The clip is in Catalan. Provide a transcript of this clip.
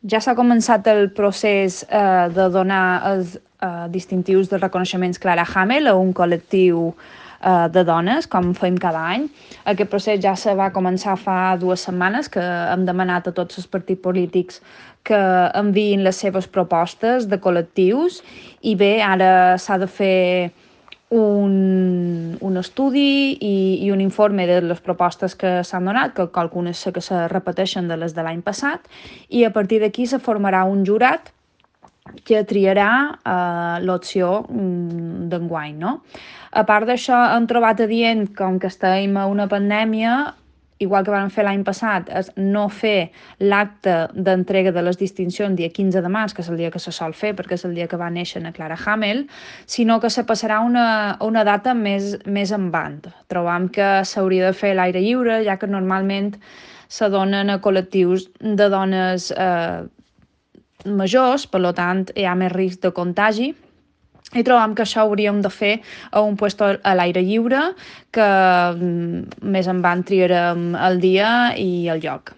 Ja s'ha començat el procés de donar els distintius de reconeixements Clara Hamel a un col·lectiu de dones, com fem cada any. Aquest procés ja se va començar fa 2 setmanes, que hem demanat a tots els partits polítics que enviïn les seves propostes de col·lectius i bé, ara s'ha de fer un estudi i un informe de les propostes que s'han donat, que algunes sé que se repeteixen de les de l'any passat, i a partir d'aquí se formarà un jurat que triarà l'opció d'enguany, no? A part d'això, hem trobat adient, com que estem a una pandèmia, igual que vam fer l'any passat, és no fer l'acte d'entrega de les distincions dia 15 de març, que és el dia que se sol fer, perquè és el dia que va néixer la Clara Hamel, sinó que se passarà una data més endavant. Trobam que s'hauria de fer a l'aire lliure, ja que normalment se donen a col·lectius de dones majors, per tant hi ha més risc de contagi, i trobam que això hauríem de fer a un puesto a l'aire lliure, que més endavant triarem el dia i el lloc.